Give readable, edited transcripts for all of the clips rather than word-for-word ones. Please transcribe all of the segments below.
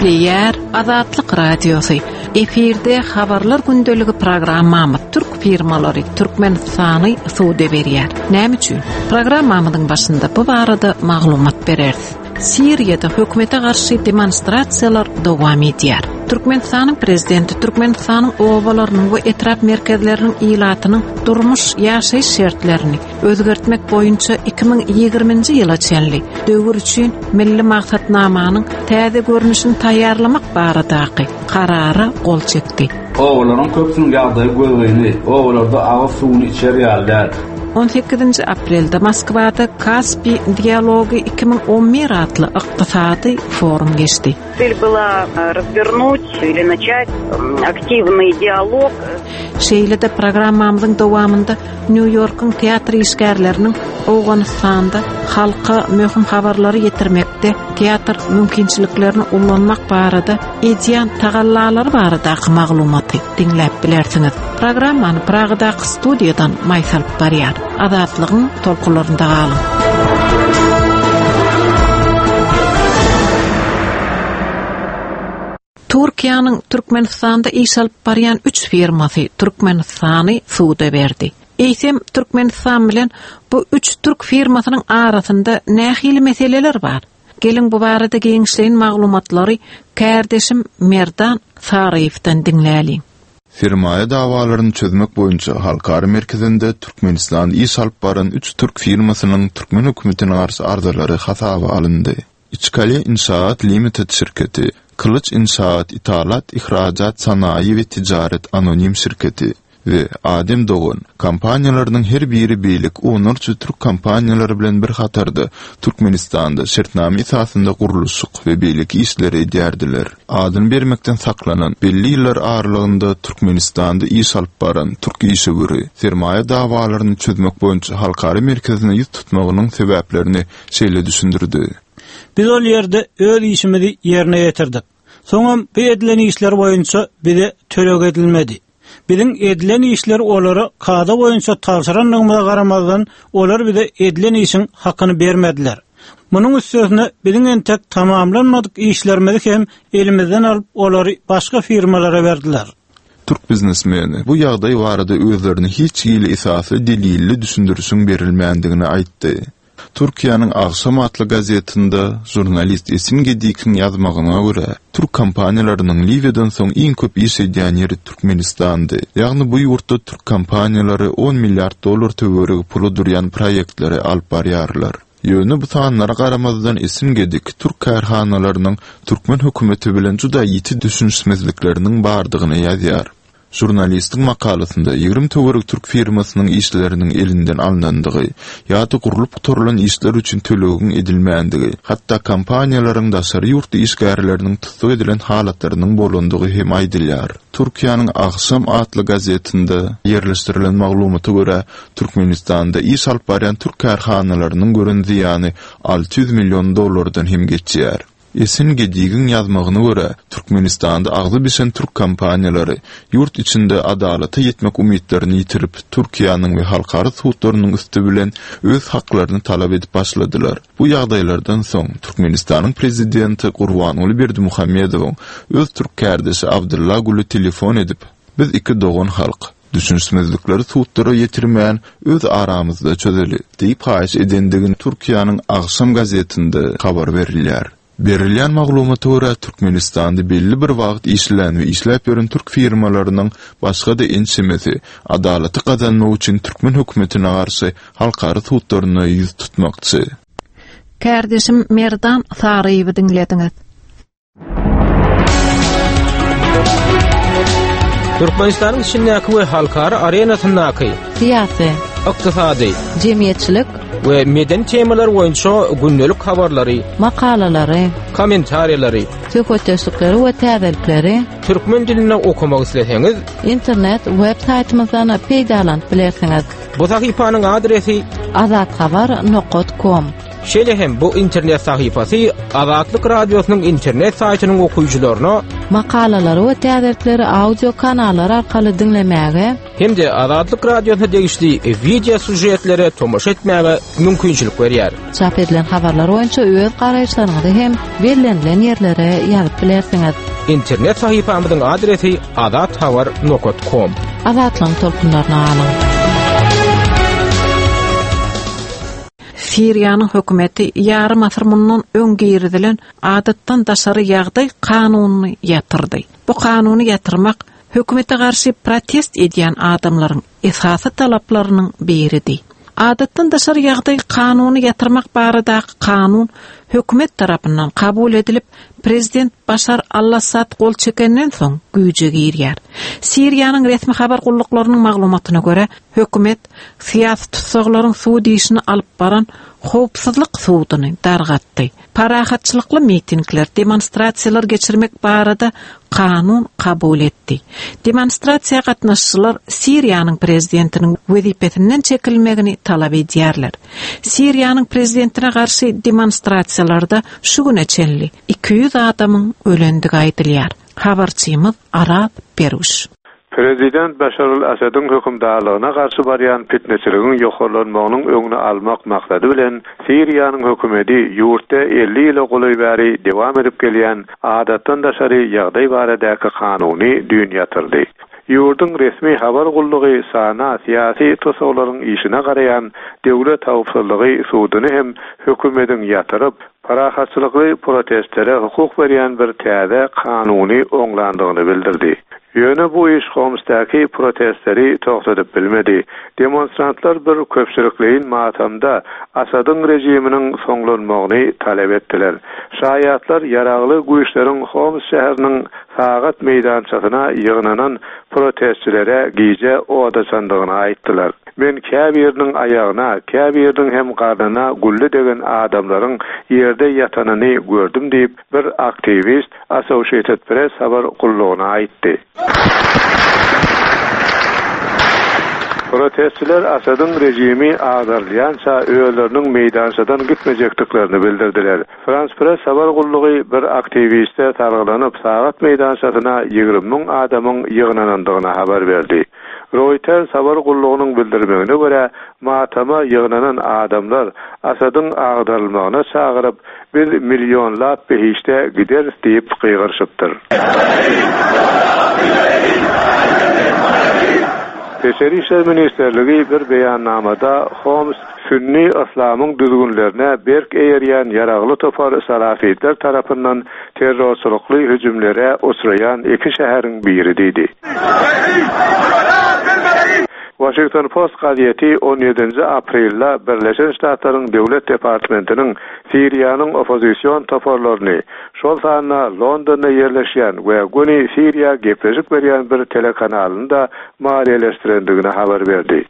Gepleýär Azatlyk Radiosy. Efirde Habarlar gündeligi programmamyz türk firmalary Türkmenistany suda berýär. Näme üçin? Programmamyzyň başynda bu barada maglumat bereris. Siriýada hökümete garşy demonstrasiýalar dowam edýär. Türkmenistanyň prezidenti Türkmenistanyň obalarynyň we etrap merkezleriniň ilatynyň durmuş ýaşaýyş şertlerini özgertmek boýunça 2020-nji ýyla çenli döwür üçin Milli maksatnamanyň täze görnüşini taýýarlamak baradaky Karara gol çekdi. Obalaryň köpüsiniň ýagdaýy gözgyny, obalarda agyz suwuny içer ýaly däl. On sekizinji aprelde Moskwada Kaspi dialogy 2011 atly ykdysady forum geçdi. Цель была развернуть или начать активный диалог. Şeýle-de programmamyzyň dowamynda Nýu-Ýorkuň teatr işgärleriniň Owganystanda halka möhüm habarlary ýetirmekde teatr mümkinçiliklerini ulanmak barada edýän tagallalary baradaky maglumaty diňläp bilersiňiz. Programmany Pragadaky studiýadan Maýsa alyp barýar. Azatlygyň tolkunlarynda galyň. Türkiýäniň Türkmenistanda iş alyp barýan üç firmasy Türkmenistany suda berdi. Eýsem, Türkmenistan bilen bu üç türk firmasynyň arasynda nähili meseleler bar? Geliň bu barada giňişleýin maglumatlary kärdeşim Merdan Saryýewden diňläliň. Sermaýa dawalaryny çözmek boýunça halkara merkezinde Türkmenistanda iş alyp baran üç türk firmasynyň türkmen hökümetine garşy arzalary hasaba alyndy. Içkale Inşaat Limited şirketi, Kylyç Inşaat Ithalat Ihracat Sanaýy we Tijaret Anonim şirketi we Adem Dogan kompaniýalarynyň her biri beýleki onlarça türk kompaniýalary bilen bir hatarda Türkmenistanda şertnama esasynda gurluşyk we beýleki işleri edýärdiler. Adyny bermekden saklanan, belli ýyllar aralygynda Türkmenistanda iş alyp baran türk işewüri, sermaýa dawalaryny çözmek boýunça halkara merkezine ýüz tutmagynyň sebäplerini şeýle düşündirdi. Biz ol ýerde öz işimizi ýerine ýetirdik. Soňam bu edilen işler boýunça bize töleg edilmedi. Biziň edilen işleri olara kada boýunça tabşyrandygymyza garamazdan, olar bize edilen işiň hakyny bermediler. Munuň üstesine, biziň entek tamamlanmadyk işlerimizi hem elimizden alyp, olary başga firmalara berdiler. Türk biznesmeni bu ýagdaý barada özlerine hiç hili esasly delilli düşündirişiň berilmändigini aýtdy. Türkiýäniň Agşam atly gazetinde žurnalist Esin Gedikiň ýazmagyna görä, türk kompaniýalarynyň Liwiýadan soň iň köp iş edýän ýeri Türkmenistandy. Ýagny bu ýurtda türk kompaniýalary on milliard dollar töweregi pula durýan proýektleri alyp barýarlar. Ýöne bu sanlara garamazdan Esin Gedik türk kärhanalarynyň türkmen hökümeti bilen juda ýiti düşünişmezlikleriniň bardygyny ýazýar. Žurnalistiň makalasynda 20 töweregi türk firmasynyň işleriniň elinden alnandygy ýa-da gurlup gutarylan işler üçin tölegiň edilmändigi, hatda kompaniýalaryň daşary ýurtly işgärleriniň tussag edilen halatlarynyň bolandygy hem aýdylýar. Türkiýäniň Agşam atly gazetinde ýerleşdirilen maglumata görä, Türkmenistanda iş alyp barýan türk kärhanalarynyň gören zyýany 600 million dollardan hem geçýär. Esin Gedigiň ýazmagyna görä, Türkmenistanda agzy bişen türk kompaniýalary ýurt içinde adalata ýetmek umytlaryny ýitirip, Türkiýäniň we halkara sudlarynyň üsti bilen öz haklaryny talap edip başladylar. Bu ýagdaýlardan soň, Türkmenistanyň prezidenti Gurbanguly Berdimuhamedowyň öz türk kärdeşi Abdylla Güle telefon edip, Biz iki dogan halk. Düşünişmezlikleri sudlara ýetirmän, öz aramyzda çözeli diýip haýyş edendigini Türkiýäniň Agşam gazetinde habar berilýär. Berilýän maglumata görä, Türkmenistanda belli bir wagt işlän we işläp ýören türk firmalarynyň başga-da ençemesi adalaty gazanmak üçin türkmen hökümetine garşy halkara sudlaryna ýüz tutmakçy. Kärdeşim Merdan Saryýewi diňlediňiz. Türkmenistanyň içindäki we halkara arenasyndaky syýasy, ykdysady, jemgyýetçilik we medeni temalar boýunça gündelik habarlary, makalalary, kommentariýalary, söhbetdeşlikleri we täzelikleri türkmen dilinde okamak isleseňiz, internet web saýtymyzdan peýdalanyp bilersiňiz. Bu sahypanyň adresi azathabar nokat kom. Şeýle hem bu internet sahypasy Azatlyk Radiosynyň internet saýtynyň okyjylaryna. Makalalary we täzelikleri audio kanallar arkaly diňlemäge hem-de Azatlyk Radiosyna degişli wideo sýužetlere tomaşa etmäge mümkinçilik berýär. Çap edilen habarlar boýunça öz garaýyşlaryňyzy hem bellenilen ýerlere ýazyp bilersiňiz. Internet sahypamyzyň adresi azathabar.com. Azatlygyň tolkunlaryna galyň. Siriýanyň hökümeti ýarym asyr mundan öň girizilen adatdan daşary ýagdaý kanunyny ýatyrdy. Bu kanuny ýatyrmak hökümete garşy protest edýän adamlaryň esasy talaplarynyň biridi. Adatdan daşary ýagdaý kanuny ýatyrmak baradaky kanun hökümet tarapyndan kabul edilip, prezident Başar al-Assad gol çekenden soň güýje girýär. Siriýanyň resmi habar gulluklarynyň maglumatyna görä, hökümet syýasy tussaglaryň sud işini alyp baran howpsuzlyk suduny dargatdy. Parahatçylykly mitingler, demonstrasiýalar geçirmek barada kanun kabul etdi. Demonstrasiýa gatnaşyjylar Siriýanyň prezidentiniň wezipesinden çekilmegini talap edýärler. Siriýanyň prezidentine garşy demonstrasiýalarda şu güne çenli 200 adamyň ölendigi aýdylýar. Habarçymyz Araz Beruş. Prezident Başar al-Assadyň hökümdarlygyna garşy barýan pitneçiligiň ýokarlanmagynyň öňüni almak maksady bilen, Siriýanyň hökümeti ýurtda 50 ýyla golaý bäri dowam edip gelýän adatdan daşary ýagdaý baradaky kanuny düýn ýatyrdy. Ýurduň resmi habar gullugy SANA syýasy tussaglaryň işine garaýan Döwlet howpsuzlygy suduny hem hökümediň ýatyryp, parahatçylykly protestlere hukuk berýän bir täze kanuny oňlandygyny bildirdi. Ýöne bu iş Homsdaky protestleri togtadyp bilmedi. Demonstrantlar bir köpçülikleýin matamda Asadyň režiminiň soňlanmagyny talap etdiler. Şaýatlar ýaragly güýçleriň Homs şäheriniň sagat meýdançasyna ýygnanan protestçilere gije od açandygyny aýtdylar. Men käbiriniň aýagyna, käbiriniň hem garnyna gülle degen adamlaryň ýerde ýatanyny gördüm diýip, bir aktiwist Associated Press habar gullugyna aýtdy. Protestçiler Asadyň režimi agdarylýança özleriniň meýdançadan gitmejekdiklerini bildirdiler. Frans Press habar gullugy bir aktiwiste salgylanyp, sagat meýdançasyna 20 müň adamyň ýygnanandygyny habar berdi. Roýters habar gullugynyň bildirmegine görä, matama ýygnanan adamlar Asadyň agdarylmagyna çagyryp, Biz millionlap behişde gideris diýip gygyryşypdyr. Içeri işler ministrligi bir beýannamada Homs sünni yslamyň düzgünlerine berk eýerýän ýaragly topar salafitler tarapyndan terrorçylykly hüjümlere uçraýan iki şäheriň biri diýdi. Washington Post gazeti on ýedinji aprelde Birleşen Ştatlaryň Döwlet departmentiniň Siriýanyň oppozision toparlaryny, şol sanda Londonda ýerleşýän we göni Siriýa gepleşik berýän bir telekanalyny-da maliýeleşdirendigini habar berdi.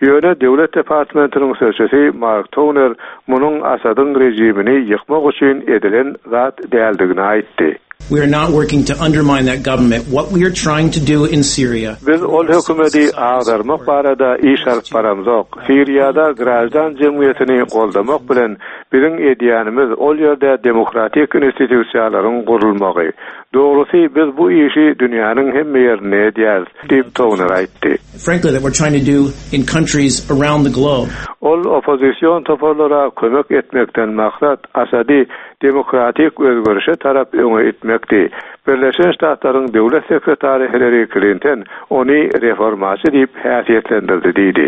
Ýöne Döwlet departmentiniň sözçüsi Mark Toner munuň Asadyň režimini ýykmak üçin edilen zat däldigini aýtdy. We are not working to undermine that government. What we are trying to do in Syria. Biz ol hökümeti agdarmak barada iş alyp baramzok. Siriýada graždan jemgyýetini goldamak bilen biziň edýänimiz ol ýerde demokratik institusiýalaryň gurulmagy. Dogrusy, biz bu işi dünýäniň hemme ýerinde edýäris, diýip, Toner aýtdy. Frankly, that we're trying to do in countries around the globe. Ol oppozision toparlara kömek etmekden maksat Asady demokratik özgerişe tarap öňe itmekdi. Birleşen Ştatlaryň Döwlet sekretary Hillari Klinton ony reformaçy diýip häsiýetlendirdi diýdi.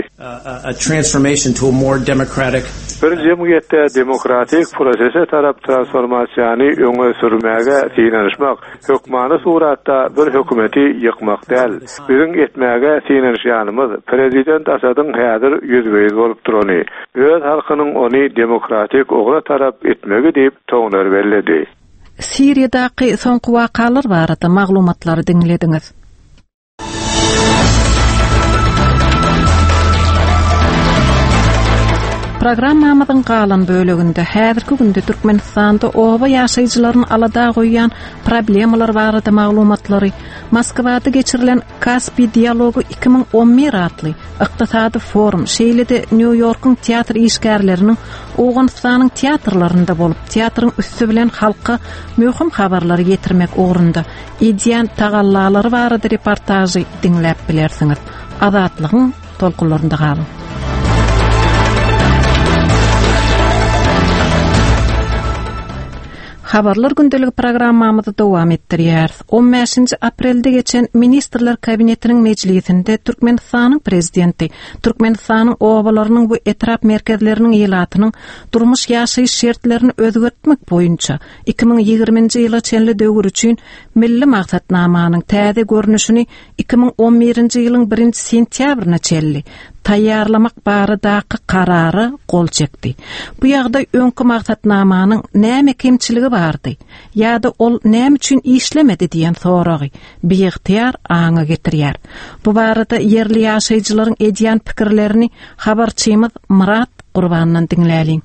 A transformation to a more democratic. Bir jemgyýetde demokratik prosese tarap transformasiýany öňe sürmäge synanyşmak hökmany suratda bir hökümeti ýykmak däl. Biziň etmäge synanyşýanymyz prezident Asadyň häzir ýüzbe-ýüz bolup durany, öz halkynyň ony demokratik ugra tarap itmegi diýip, Toner belledi. Siriýadaky soňky wakalar barada maglumatlary diňlediňiz. Programmamyzyň galan böleginde häzirki günde Türkmenistanda oba ýaşaýjylaryny alada goýýan problemalar barada maglumatlary, Moskwada geçirilen Kaspi dialogy 2011 atly ykdysady forum, şeýle-de Nýu-Ýorkuň teatr işgärleriniň Owganystanyň teatrlarynda bolup, teatryň üsti bilen halka möhüm habarlary ýetirmek ugrunda edýän tagallalary barada reportažy diňläp bilersiňiz. Azatlygyň tolkunlarynda galyň. Habarlar gündeligi programmamyzy dowam etdirýäris. 15-nji aprelde geçen Ministrler Kabinetiniň mejlisinde Türkmenistanyň Prezidenti Türkmenistanyň obalarynyň we etrap merkezleriniň ilatynyň durmuş-ýaşaýyş şertlerini özgertmek boýunça 2020-nji ýyla çenli döwür üçin Milli maksatnamanyň täze görnüşini 2011-nji ýylyň birinji sentýabryna çenli taýýarlamak baradaky Karara gol çekdi. Bu ýagdaý öňki maksatnamanyň näme kemçiligi bardy ýa-da ol näme üçin işlemedi diýen soragy biygtyýar aňa getirýär. Bu barada ýerli ýaşaýjylaryň edýän pikirlerini habarçymyz Myrat Gurbandan diňläliň.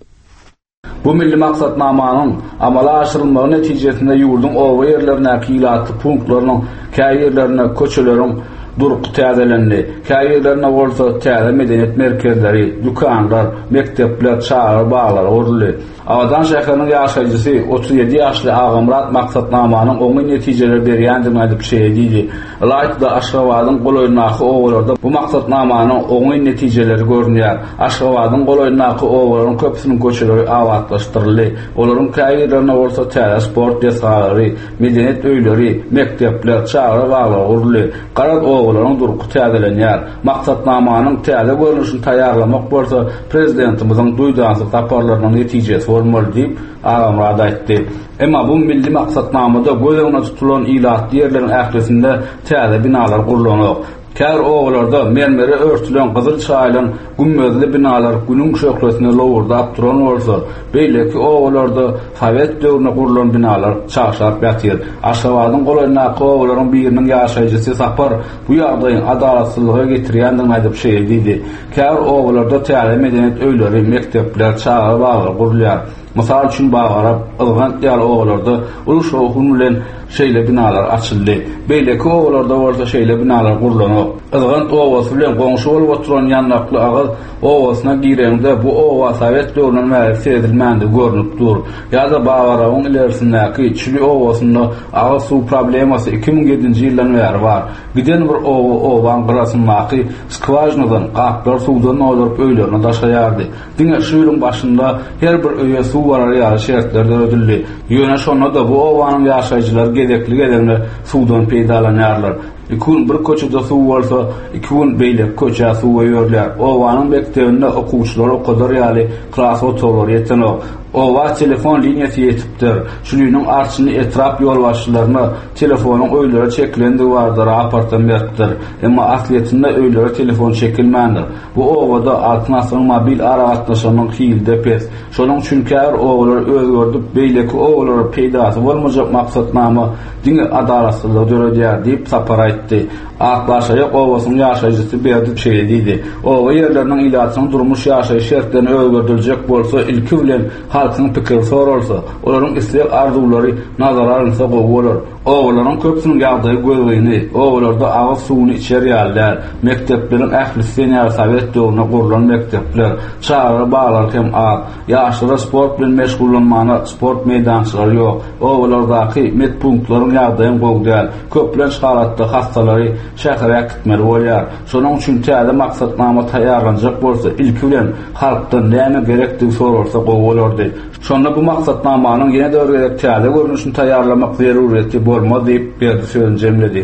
Bu milli maksatnamanyň amala aşyrylmagy netijesinde ýurduň oba ýerlerindäki ilatly punktlarynyň käbirlerinde köçeleriň durky täzelendi, käbirlerinde bolsa täze medeniýet merkezleri, dükanlar, mekdepler, çagalar baglary guruldy. Abadan şäheriniň ýaşaýjysy, 37 ýaşly Agamyrat maksatnamanyň oňyn netijeleri berýändigini aýdyp şeýle diýdi, Ylaýta-da Aşgabadyň golaýyndaky obalarda bu maksatnamanyň oňyn netijeleri görünýär. Aşgabadyň golaýyndaky obalaryň köpüsiniň köçeleri abatlaşdyryldy. Olaryň käbirlerinde bolsa täze sport desgalary, medeniýet öýleri, mekdepler, çagalar baglary guruldy. Garaz, obalaryň durky täzelenýär. Maksatnamanyň täze görnüşini taýýarlamak bolsa Prezidentimiziň duýdansyz saparlarynyň netijesi bolmaly diýip, Agamyrat aýtdy. Emma bu milli maksatnamada göz öňünde tutulan ilatly ýerleriň ählisinde täze binalar gurlanok. Käbir obalarda mermere örtülen gyzyl çaýylan gümmezli binalar günüň şöhlesine lowurdap duran bolsa, beýleki obalarda sowet döwründe gurlan binalar çagşap ýatyr. Aşgabadyň golaýyndaky obalaryň biriniň ýaşaýjysy Sapar bu ýagdaýyň adalatsyzlyga getirýändigini aýdyp şeýle diýdi, Käbir obalarda täze medeniýet öýleri, mekdepler, çagalar baglary gurulýar. Mysal üçin, Babarap, Yzgant ýaly obalarda uly şowhun bilen şeýle binalar açyldy. Beýleki obalarda bolsa şeýle binalar gurlanok. Yzgant obasy bilen goňşy bolup oturan Ýandakly agyz obasyna gireňde bu oba sowet döwründen bäri seredilmändigi görnüp dur. Ýa-da Babarabyň ilerisindäki Çüli obasynda agyz suw problemasy 2007-nji ýyldan bäri bar. Giden bir oba obaň gyrasyndaky skwažinadan gaplar suwdan dolduryp öýlerine daşaýardy. Diňe şu ýylyň başynda her bir öýe suw barar ýaly şertler döredildi. Ýöne şonda-da bu obanyň ýaşaýjylary gezekli-gezegine suwdan peýdalanýarlar. Iki gün bir köçede suw bolsa, iki gün beýleki köçä suw goýberilýär. Obanyň mekdebinde okuwçylary okadar ýaly klas otaglary ýetenok. Oba telefon liniýasy ýetipdir. Çüliniň arçyny etrap ýolbaşçylaryna telefonyň öýlere çekilendigi barada raportam beripdir. Emma aslyýetinde öýlere telefon çekilmändir. Bu obada Altyn asyryň mobil aragatnaşygynyň hili-de pes. Şonuň üçin käbir obalary özgerdip, beýleki obalara peýdasy bolmajak maksatnama diňe adalatsyzlygy döredýär diýip, Sapar aýtdy. Akbaşaýak obasynyň ýaşaýjysy Berdi şeýle diýdi, Oba ýerleriniň ilatynyň durmuş-ýaşaýyş şertlerini özgerdiljek bolsa, ilki bilen halkyň pikiri soralsa, olaryň isleg-arzuwlary nazara alynsa gowy bolar. Obalaryň köpüsiniň ýagdaýy gözgyny, obalarda agyz suwuny içer ýaly däl, mekdepleriň ählisi sen ýaly sowet döwründe gurlan mekdepler, çagalar baglary hem az, ýaşlara sport bilen meşgullanmana sport meýdançalary ýok, obalardaky medpunktlaryň ýagdaýam gowy däl, köplenç halatda hassalary şähere äkitmeli bolýar. Şonuň üçin täze maksatnama taýýarlanjak bolsa, ilki bilen halkdan näme gerekdigi soralsa gowy bolardy. Şonda bu maksatnamanyň ýene-de bir gezek täze görnüşini taýýarlamak zerurýeti bolmaz diýip, Berdi sözüni jemledi.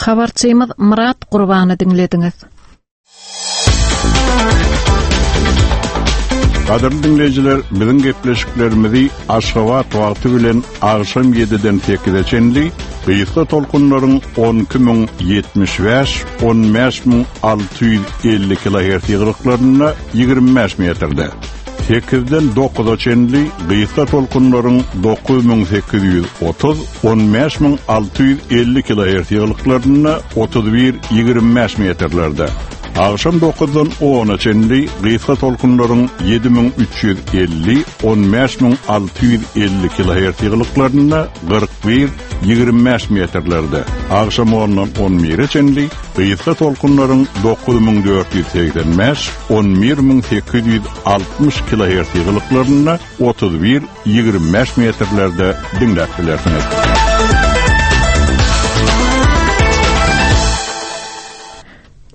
Habarçymyz Myrat Gurbany diňlediňiz. Gadyrly diňleýjiler, biziň gepleşiklerimizi Aşgabat wagty bilen agşam ýediden sekize çenli gysga tolkunlaryň 12075, 15650 kilohertz ýygylyklarynda 25 metrde, Sekizden dokuza çenli gysga tolkunlaryň 9830, 15650 kilohertz ýygylyklarynda 31, 25 metrlerde. Agşam dokuzdan ona çenli gysga tolkunlaryň 7350, 15650 kilohertz ýygylyklarynda 41, 25 metrlerde, agşam ondan on bire çenli gysga tolkunlaryň 9485, 11860 kilohertz ýygylyklarynda 31, 25 metrlerde diňläp bilersiňiz.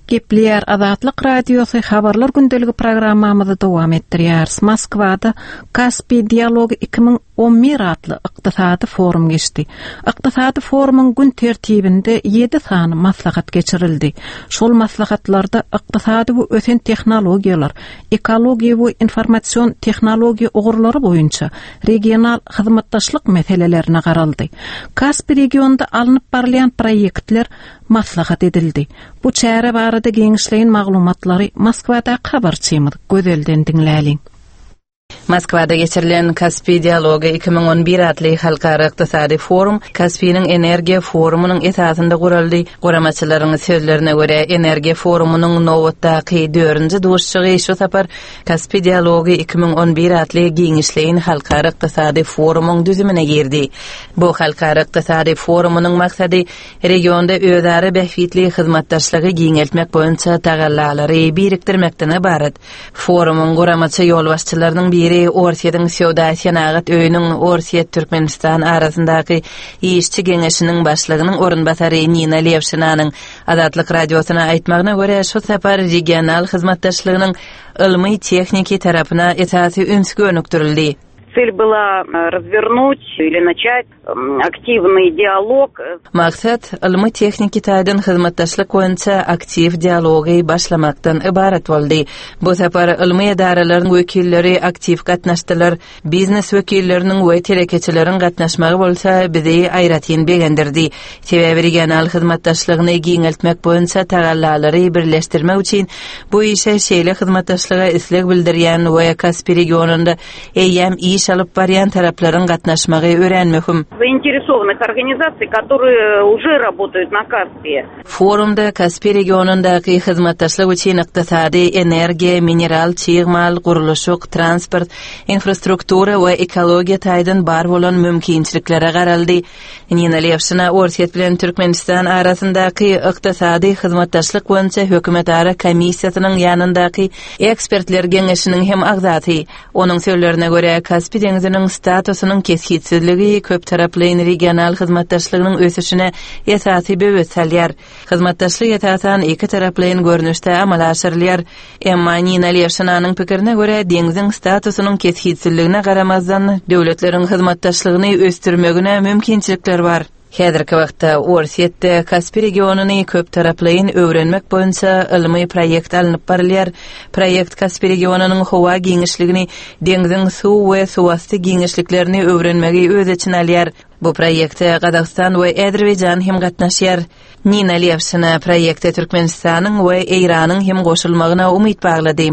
Gepleýär Azatlyk Radiosy Habarlar gündeligi programmamyzy dowam etdirýäris. Moskwada Kaspi dialogy 2011 atly ykdysady forum geçdi. Ykdysady forumyň gün tertibinde 7 sany maslahat geçirildi. Şol maslahatlarda ykdysady we ösen tehnologiýalar, ekologiýa we informasion tehnologiýa ugurlary boýunça regional hyzmatdaşlyk meselelerine garaldy. Kaspi regionynda alnyp barylýan proýektler maslahat edildi. Bu çäre barada giňişleýin maglumatlary Moskwadaky habarçymyz Gözelden diňläliň. Moskwada geçirilen Kaspi dialogy 2011 atly halkara ykdysady forum Kaspiniň energiýa forumynyň esasynda guraldy. Guramaçylaryň sözlerine görä, energiýa forumynyň nobatdaky dördünji duşuşygy şu sapar Kaspi dialogy 2011 atly giňişleýin halkara ykdysady forumyň düzümine girdi. Bu halkara ykdysady forumynyň maksady regionda özara bähbitli hyzmatdaşlygy giňeltmek boýunça tagallalary birikdirmekden ybarat. Forumyň guramaçy ýolbaşçylarynyň biri Orsýetiň Söwda-senagat öýüniň Orsýet-Türkmenistan arasyndaky işçi geňeşiniň başlygynyň orunbasary Nina Lewşinanyň Azatlyk Radiosyna aýtmagyna görä, şu sapar regional hyzmatdaşlygynyň ylmy-tehniki tarapyna esasy üns gönükdirildi. Цель была развернуть или начать aktiwnyý dialog. Maksat, ylmy-tehniki taýdan hyzmatdaşlyk boýunça aktiw dialogy başlamakdan ybarat boldy. Bu sapar ylmy edaralaryň wekilleri aktiw gatnaşdylar, biznes wekilleriniň we telekeçileriň gatnaşmagy bolsa bizi aýratyn begendirdi. Sebäbi regional hyzmatdaşlygyny giňeltmek boýunça tagallalary birleşdirmek üçin bu işe şeýle hyzmatdaşlyga isleg bildirýän we Kaspi regionynda eýýäm iş alyp barýan taraplaryň gatnaşmagy örän möhüm. Zainteresowanyh organizasiý, которые уже работают na Kaspii. Forumda Kaspi regionyndaky hyzmatdaşlyk üçin ykdysady, energiýa, mineral çig mal, gurluşyk, transport, infrastruktura we ekologiýa taýdan bar bolan mümkinçiliklere garaldy. Nina Lewşina Orsýet bilen Türkmenistan arasyndaky ykdysady hyzmatdaşlyk boýunça hökümetara komissiýasynyň ýanyndaky ekspertler geňeşiniň hem agzasy. Onuň sözlerine görä, Kaspi deňziniň statusynyň kesgitsizligi köptaraplaýyn regional hyzmatdaşlygynyň ösüşine esasy böwet salýar. Hyzmatdaşlyk esasan ikitaraplaýyn görnüşde amala aşyrylýar. Emma Nina Lewşinanyň pikirine görä, deňziň statusynyň kesgitsizligine garamazdan, döwletleriň hyzmatdaşlygyny ösdürmegine mümkinçilikler bar. Häzirki wagtda Orsýetde Kaspi regionyny köptaraplaýyn öwrenmek boýunça ylmy proýekt alnyp barylýar. Proýekt Kaspi regionynyň howa giňişligini, deňziň suw we suwasty giňişliklerini öwrenmegi öz içine alýar. Bu proýekte Gazagystan we Azerbaýjan hem gatnaşýar. Nina Lewşina proýekte Türkmenistanyň we Eýranyň hem goşulmagyna umyt baglady.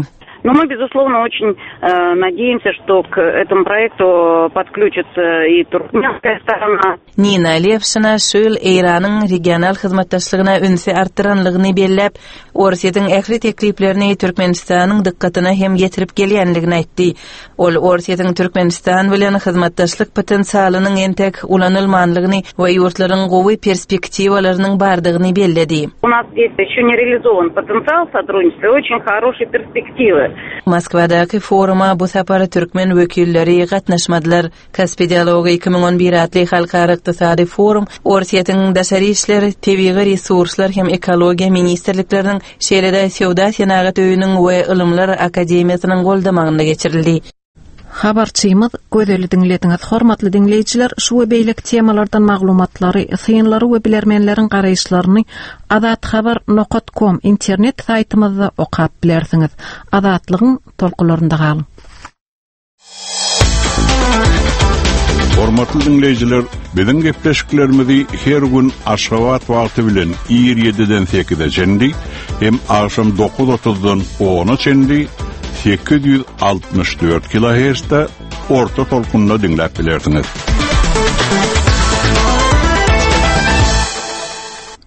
Но мы, безусловно, очень э, надеемся, что к этому проекту подключится и туркменская сторона. Nina Lewşina şu ýyl Eýranyň regional hyzmatdaşlygyna ünsi artdyranlygyny belläp, Orsýetiň ähli tekliplerini Türkmenistanyň dykgatyna hem ýetirip gelýänligini aýtdy. Ol Orsýetiň Türkmenistan bilen hyzmatdaşlyk potensialynyň entek ulanylmanlygyny we ýurtlaryň gowy perspektiwalarynyň bardygyny belledi. U nas zdes ýeşçe ne realizowan potensial sotrudniçestwa i oçen horoşiý perspektiwy. Moskwadaky foruma bu sapar türkmen wekilleri gatnaşmadylar. Kaspi dialogy 2011 atly halkara ykdysady forum Orsýetiň Daşary işler, Tebigy resurslar hem ekologiýa ministrlikleriniň, şeýle-de Söwda-senagat öýüniň we Ylymlar akademiýasynyň goldamagynda geçirildi. Habarçymyz Gözeli diňlediňiz. Hormatly diňleýjiler, şu we beýleki temalardan maglumatlary, synlary we bilermenleriň garaýyşlaryny azathabar nokat kom internet saýtymyzda okap bilersiňiz. Azatlygyň tolkunlarynda galyň! Hormatly diňleýjiler, biziň gepleşiklerimizi her gün Aşgabat wagty bilen ir 7-den 8-e çenli hem agşam 9:30-dan 10-a çenli 864 kHz-de orta tolkunda diňläp bilersiňiz.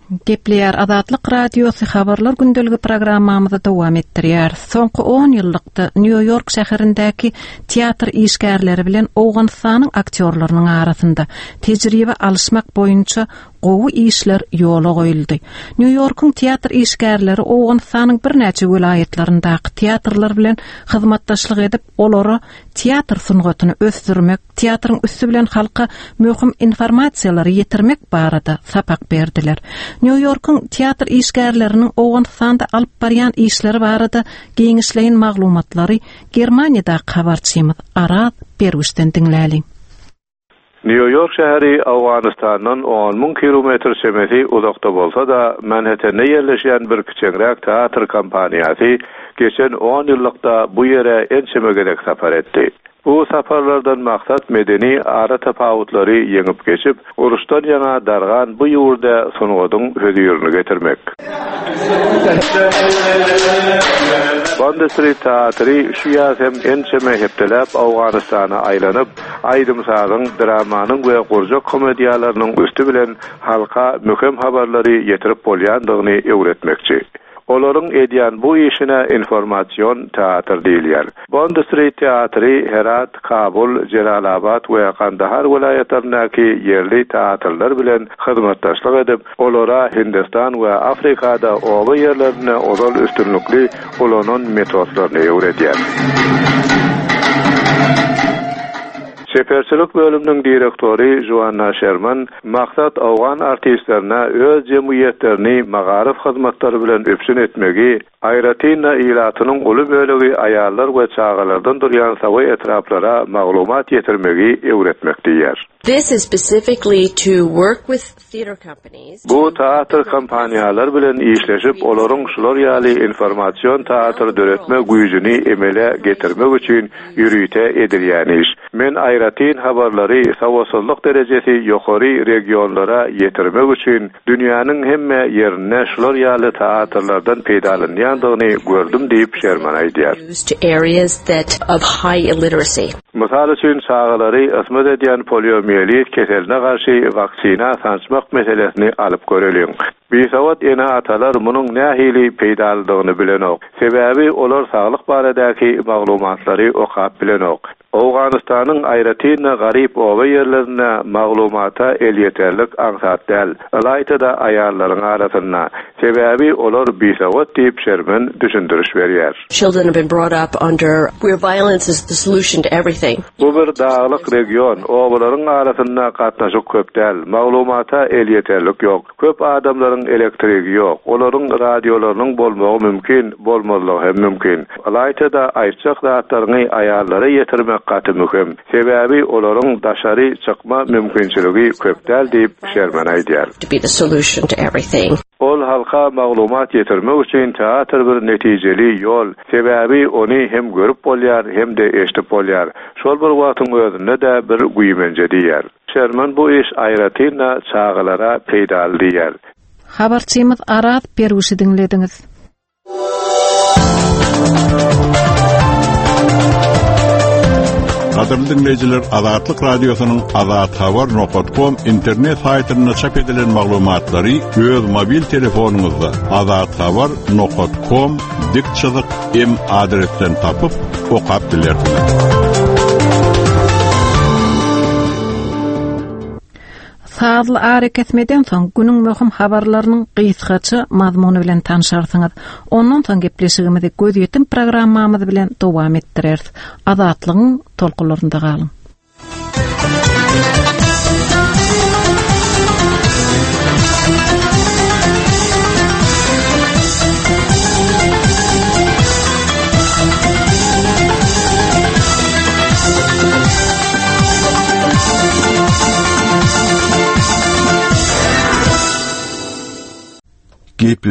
Gepleýär Azatlyk Radiosy Habarlar gündeligi programmamyzy dowam etdirýär. Soňky on ýyllykda Nýu-Ýork şäherindäki teatr işgärleri bilen Owganystanyň aktýorlarynyň arasynda tejribe alyşmak boýunça gowy işler ýola goýuldy. Nýu-Ýorkuň teatr işgärleri Owganystanyň birnäçe welaýatlaryndaky teatrlar bilen hyzmatdaşlyk edip, olara teatr sungatyny ösdürmek, teatryň üsti bilen halka möhüm informasiýalary ýetirmek barada sapak berdiler. Nýu-Ýorkuň teatr işgärleriniň Owganystanda alyp barýan işleri barada giňişleýin maglumatlary Germaniýadaky habarçymyz Araz Berwişden diňläliň. Nýu-Ýork şäheri Owganystandan 10 müň kilometr çemesi uzakda bolsa-da, Manhettende ýerleşýän bir kiçeňräk teatr kompaniýasy geçen on ýyllykda bu ýere ençeme gezek sapar etdi. Bu saparlardan maksat medeni aratapawutlary ýeňip geçip, uruşdan ýaňa dargan bu ýurda sungatyň hözirini getirmek. Bond Street teatry şu ýaz hem ençeme hepdeläp Owganystana aýlanyp, aýdym-sazyň, dramanyň we gurjak komediýalarynyň üsti bilen halka möhüm habarlary ýetirip bolýandygyny öwretmekçi. Olaryň edýän bu işine informasion teatr diýilýär. Bond Street teatry Herat, Kabul, Jelalabat we Kandahar welaýatlaryndaky ýerli teatrlar bilen hyzmatdaşlyk edip, olara Hindistan we Afrikada oba ýerlerinde ozal üstünlikli ulanan metodlaryny öwredýär. Çeperçilik bölüminiň direktory Joanna Şerman maksat owgan artistlerine öz jemgyýetlerini magaryf hyzmatlary bilen üpjün etmegi, aýratyn-da ilatynyň uly bölegi aýallar we çagalardan durýan sawy etraplara maglumat ýetirmegi öwretmek diýýär. This is specifically to work with theater companies. Bu teatr kompaniýalar bilen işleşip, olaryň şular ýaly informasion teatr döretme güýjüni emele getirmek üçin ýörite edilýän iş. Men aýratyn habarlary sowatsyzlyk derejesi ýokary regionlara ýetirmek üçin dünýäniň hemme ýerinde şular ýaly teatrlardan peýdalanýandygyny gördüm diýip, Şerman aýdýar. Mysal üçin, çagalary ysmaz edýän poliomiýelit keseline garşy waksina sançmak meselesini alyp göreliň. Bisowat ene-atalar munuň nähili peýdalydygyny bilenok. Sebäbi olar saglyk baradaky maglumatlary okap bilenok. Owganystanyň aýratyn-da garyp oba ýerlerinde maglumata elýeterlik aňsat däl, ylaýta-da aýallaryň arasynda. Sebäbi olar bisowat diýip Şermen düşündiriş berýär. Children have been brought up under where violence is the solution to everything. Bu bir daglyk region, obalaryň arasynda gatnaşyk köp däl, maglumata elýeterlik ýok. Köp adamlaryň elektrigi ýok, olaryň radiolarynyň bolmagy mümkin, bolmazlygy hem mümkin. Ylaýta-da aýtjak zatlaryňy aýallara ýetirmek gaty möhüm. Sebäbi olaryň daşary çykma mümkinçiligi köp däl diýip, Şerman aýdýar. To be the solution to everything. Ol halka maglumat ýetirmek üçin teatr bir netijeli ýol, sebäbi ony hem görüp bolýar, hem-de eşidip bolýar. Şol bir wagtyň özünde-de bir güýmenje diýýär. Şerman bu iş aýratyn-da çagalara peýdaly diýýär. Habarçymyz Araz Perwişi diňlediňiz. Gadyrly diňleýjiler, Azatlyk Radiosynyň Azathabar nokat kom internet saýtynda çap edilen maglumatlary öz mobil telefonyňyzda azathabar nokat kom dik çyzyk m adresden tapyp, okap bilersiňiz. Sazly arakesmeden soň günüň möhüm habarlarynyň gysgaça mazmuny bilen tanşarsyňyz. Ondan soň gepleşigimizi Gözýetim programmamyz bilen dowam etdireris. Azatlygyň tolkunlarynda galyň. Gepleşik.